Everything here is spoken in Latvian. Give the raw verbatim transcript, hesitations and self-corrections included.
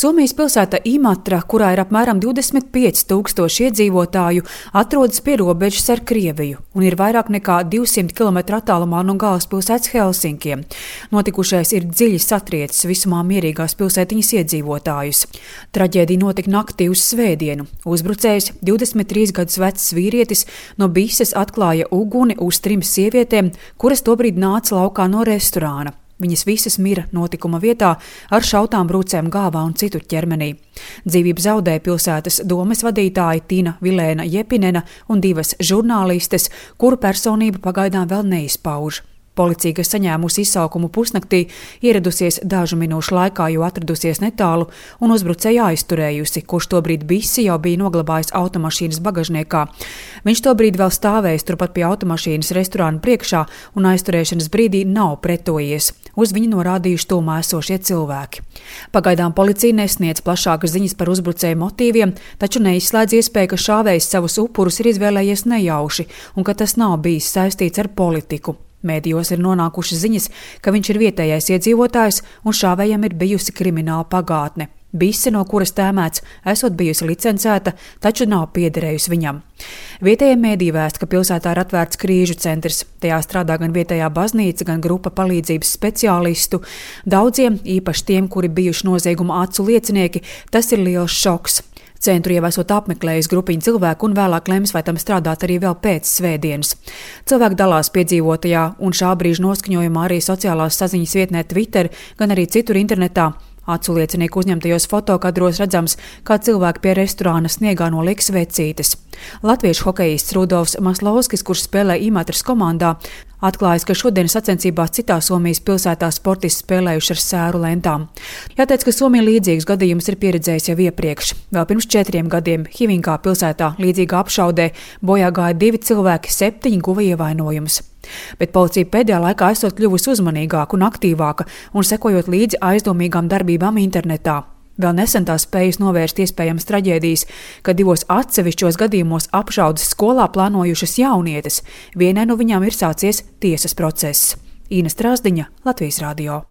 Somijas pilsēta Imatra, kurā ir apmēram divdesmit pieci tūkstoši iedzīvotāju, atrodas pie robežas ar Krieviju un ir vairāk nekā divsimt kilometru attālumā no galvaspilsētas Helsinkiem. Notikušais ir dziļi satriecis visumā mierīgās pilsētiņas iedzīvotājus. Traģēdija notika naktī uz svētdienu. Uzbrucējs, divdesmit trīs gadus vecs vīrietis, no bises atklāja uguni uz trim sievietēm, kuras tobrīd nāca laukā no restorāna. Viņas visas mira notikuma vietā ar šautām brūcēm galvā un citur ķermenī. Dzīvību zaudēja pilsētas domes vadītāji Tina Vilēna Jepinena un divas žurnālistes, kuru personība pagaidām vēl neizpauž. Policija, kas saņēmusi izsaukumu pusnaktī, ieradusies dažu minūšu laikā, jo atradusies netālu un uzbrucēju aizturējusi, kurš tobrīd bisi jau bija noglabājis automašīnas bagažniekā. Viņš tobrīd vēl stāvējis turpat pie automašīnas restorāna priekšā un aizturēšanas brīdī nav pretojies. Uz viņu norādījuši tūmā esošie cilvēki. Pagaidām policija nesniedz plašākas ziņas par uzbrucēju motīviem, taču neizslēdz iespēju, ka šāvējs savus upurus ir izvēlējies nejauši un ka tas nav bijis saistīts ar politiku. Mēdījos ir nonākušas ziņas, ka viņš ir vietējais iedzīvotājs un šāvējam ir bijusi krimināla pagātne. Bise, no kuras tēmēts, esot bijusi licencēta, taču nav piederējusi viņam. Vietējie mēdīji vēsta, ka pilsētā ir atvērts krīžu centrs. Tajā strādā gan vietējā baznīca, gan grupa palīdzības speciālistu. Daudziem, īpaši tiem, kuri bijuši nozieguma acu liecinieki, tas ir liels šoks. Centru jau esot apmeklējis grupiņu cilvēku un vēlāk lems, vai tam strādāt arī vēl pēc svētdienas. Cilvēki dalās piedzīvotajā un šā brīža noskaņojumā arī sociālās saziņas vietnē Twitter, gan arī citur internetā. Acu liecinieku uzņemtajos fotokadros redzams, kā cilvēki pie restorāna sniegā noliek svecītes. Latviešu hokejists Rudolfs Maslovskis, kurš spēlē Imatras komandā, atklājis, ka šodien sacensībās citā Somijas pilsētā sportisti spēlējuši ar sēru lentām. Jāteic, ka Somija līdzīgus gadījumus ir pieredzējis jau iepriekš. Vēl pirms četriem gadiem Hivinkā pilsētā līdzīgā apšaudē bojā gāja divi cilvēki, septiņi guva ievainojumus. Bet policija pēdējā laikā esot kļuvusi uzmanīgāka un aktīvāka un sekojot līdzi aizdomīgām darbībām internetā. Vēl nesen tā spējas novērst iespējamas traģēdijas, kad divos atsevišķos gadījumos apšaudes skolā plānojušas jaunietes. Vienai no viņām ir sācies tiesas process. Īna Strāzdiņa, Latvijas radio.